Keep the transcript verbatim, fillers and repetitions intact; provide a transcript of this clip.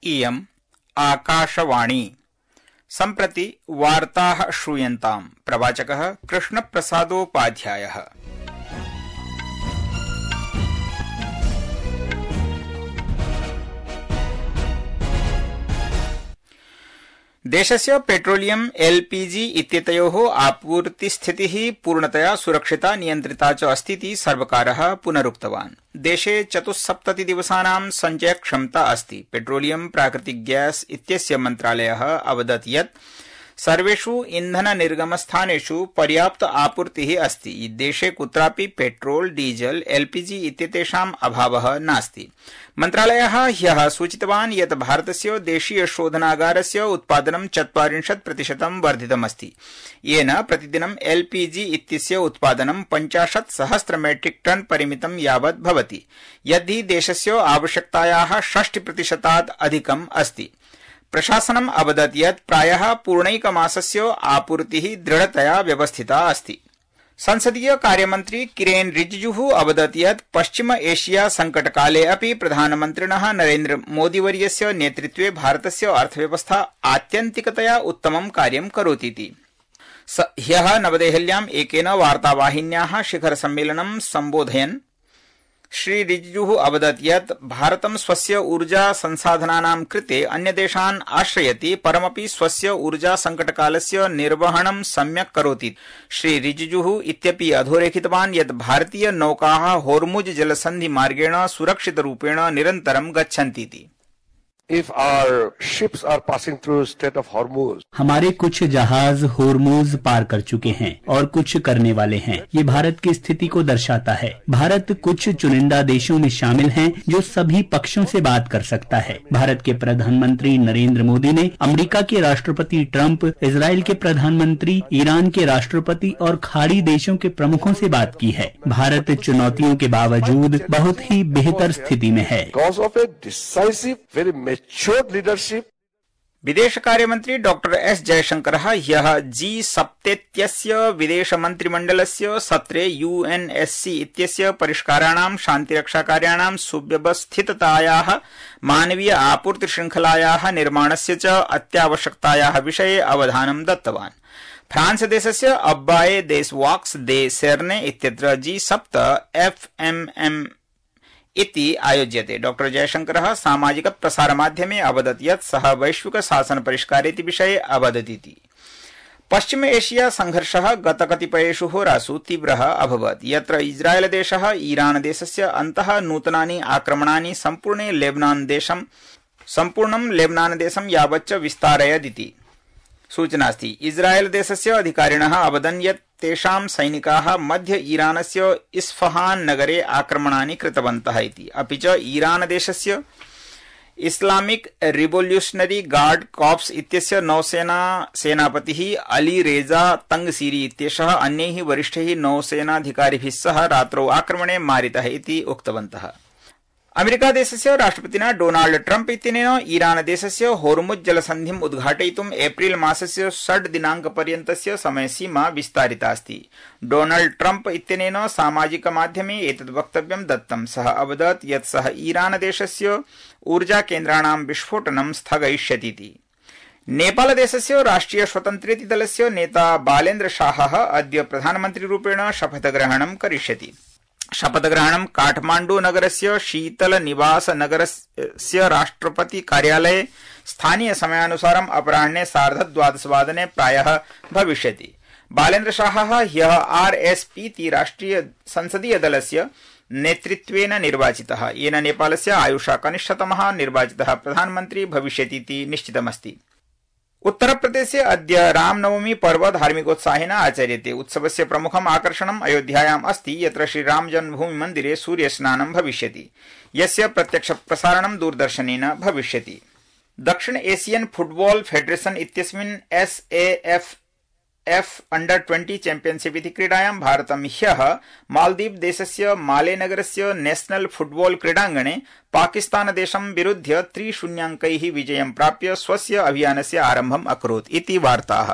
इयम् आकाशवाणी। सम्प्रति वार्ताः श्रूयन्ताम्। प्रवाचकः कृष्णप्रसादोपाध्यायः। देशस्य पेट्रोलियम एलपीजी इत्येतयोः आपूर्तिस्थितिः पूर्णतया सुरक्षिता नियन्त्रिता च अस्तीति सर्वकारः पुनरुक्तवान्। देशे चतुस्सप्ततिदिवसानां सञ्चयक्षमता अस्ति। पेट्रोलियम प्राकृतिक गैस इत्यस्य मन्त्रालयः अवदत् यत् सर्वेषु इन्धननिर्गमस्थानेषु पर्याप्त आपूर्तिः अस्ति। देशे कुत्रापि पेट्रोल डीजल एलपीजी इत्येतेषाम् अभावः नास्ति। मन्त्रालयः ह्यः सूचितवान् यत् भारतस्य देशीय शोधनागारस्य उत्पादनं चत्वारिंशत् प्रतिशतं वर्धितमस्ति, येन प्रतिदिनं एलपीजी इत्यस्य उत्पादनं पञ्चाशत् सहस्र मेट्रिक टन परिमितं यावत् भवति, यद्धि देशस्य आवश्यकतायाः षष्टि प्रतिशतात् अधिकम् अस्ति। प्रशासनम् अवदत् यत् प्रायः पूर्णैकमासस्य आपूर्तिः दृढतया व्यवस्थिता अस्ति। संसदीय कार्यमन्त्री किरेन रिजिजुः अवदत् यत् पश्चिम एशिया संकटकाले अपि प्रधानमन्त्रिणः नरेन्द्र मोदीवर्यस्य नेतृत्वे भारतस्य अर्थव्यवस्था आत्यन्तिकतया उत्तमं कार्यं करोतीति। ह्यः नवदेहल्याम् एकेन वार्तावाहिन्याः शिखरसम्मेलनं सम्बोधयन् श्री रिजिजुः अवदत् यत् भारतं स्वस्य ऊर्जा संसाधनानां कृते अन्यदेशान् आश्रयति, परमपि स्वस्य ऊर्जा संकटकालस्य निर्वहणं सम्यक् करोति। श्री रिजिजुः इत्यपि अधोरेखितवान् यत् भारतीय नौकाः होर्मुज जलसन्धि मार्गेण सुरक्षितरूपेण निरन्तरं गच्छन्तीति। If our ships are passing through Strait of Hormuz, हमारे कुछ जहाज होर्मुज पार कर चुके हैं और कुछ करने वाले हैं। ये भारत की स्थिति को दर्शाता है। भारत कुछ चुनिंदा देशों में शामिल है जो सभी पक्षों से बात कर सकता है। भारत के प्रधानमंत्री नरेंद्र मोदी ने अमेरिका के राष्ट्रपति ट्रंप, इजराइल के प्रधानमंत्री, ईरान के राष्ट्रपति और खाड़ी देशों के प्रमुखों से बात की है। भारत चुनौतियों के बावजूद बहुत ही बेहतर स्थिति में है। विदेश कार्यमंत्री डॉक्टर एस जयशंकरः ह्यः जी सप्तत्यस्य विदेश मन्त्रिमण्डलस्य सत्रे यूएनएससी इत्यस्य परिष्काराणां शान्तिरक्षाकार्याणां सुव्यवस्थिततायाः मानवीय आपूर्तिशृङ्खलायाः निर्माणस्य च अत्यावश्यकतायाः विषये अवधानं दत्तवान्। फ्रांस देशस्य अब्बाये देस वाक्स दे सेर्ने इत्यत्र जी सप्त एफ एम एम इति आयोज्यते। डॉक्टर जयशंकरः सामाजिक प्रसारमाध्यमे अवदत् यत् सः वैश्विक शासन परिष्कारेति विषये अवदतीति। पश्चिम एशिया संघर्षः गतकतिपयेषु होरासु तीव्रः अभवत्, यत्र इस्राएल देशः ईरान देशस्य अन्तः नूतनानि आक्रमणानि सम्पूर्णे लेबनान देशं सम्पूर्णं लेबनान देशं यावच्च विस्तारयदिति सूचनास्ति। इस्राएल देशस्य अधिकारिणः अवदन् यत् तेषां सैनिकाः मध्य ईरानस्य इस्फहान नगरे आक्रमणानि कृतवन्तः इति। अपि च ईरान देशस्य इस्लामिक रिवोल्यूशनरी गार्ड कॉर्प्स इत्यस्य नौसेना सेनापतिः अली रेजा तंगसीरी इत्येषः अन्यैः वरिष्ठैः नौसेनाधिकारिभिः सह रात्रौ आक्रमणे मारितः इति उक्तवन्तः। अमेरिका देशस्य राष्ट्रपतिना डोनाल्ड ट्रम्प इत्यनेन ईरान देशस्य होर्मुज जलसन्धिम् उद्घाटयितुम् एप्रिल मासस्य षड् दिनाङ्कपर्यन्तस्य समयसीमा विस्तारिता अस्ति। डोनाल्ड ट्रम्प इत्यनेन सामाजिकमाध्यमे एतद् वक्तव्यं दत्तं। सः अवदत् यत् सः ईरान देशस्य ऊर्जाकेन्द्राणां विस्फोटनं स्थगयिष्यतीति। नेपाल देशस्य राष्ट्रिय स्वतन्त्रेति दलस्य नेता बालेन्द्र शाहः अद्य प्रधानमन्त्रिरूपेण शपथग्रहणं करिष्यति। शपथग्रहणं काठमाण्डू नगरस्य शीतल निवास नगरस्य राष्ट्रपति कार्यालये स्थानीय समयानुसारम् अपराह्ने सार्धद्वादशवादने प्रायः भविष्यति। बालेन्द्र शाहः ह्यः आरएसपी इति राष्ट्रिय संसदीय दलस्य नेतृत्वेन निर्वाचितः, येन नेपालस्य आयुषा कनिष्ठतमः निर्वाचितः प्रधानमन्त्री भविष्यतीति निश्चितमस्ति। उत्तरप्रदेशे अद्य रामनवमी पर्व धार्मिकोत्साहेन आचर्यते। उत्सवस्य प्रमुखम् आकर्षणम् अयोध्यायाम् अस्ति, यत्र श्रीराम जन्मभूमि मन्दिरे सूर्यस्नानं भविष्यति, यस्य प्रत्यक्ष प्रसारणं दूरदर्शनेन भविष्यति। दक्षिण एशियन फुटबॉल फेडरेशन इत्यस्मिन् S A F F under twenty championship इति क्रीडायां भारतं ह्यः मालदीव देशस्य माले नगरस्य नेशनल फुटबॉल क्रीडाङ्गणे पाकिस्तान देशं विरुध्य त्रिशून्याङ्कैः विजयं प्राप्य स्वस्य अभियानस्य आरम्भम् अकरोत् इति वार्ताः।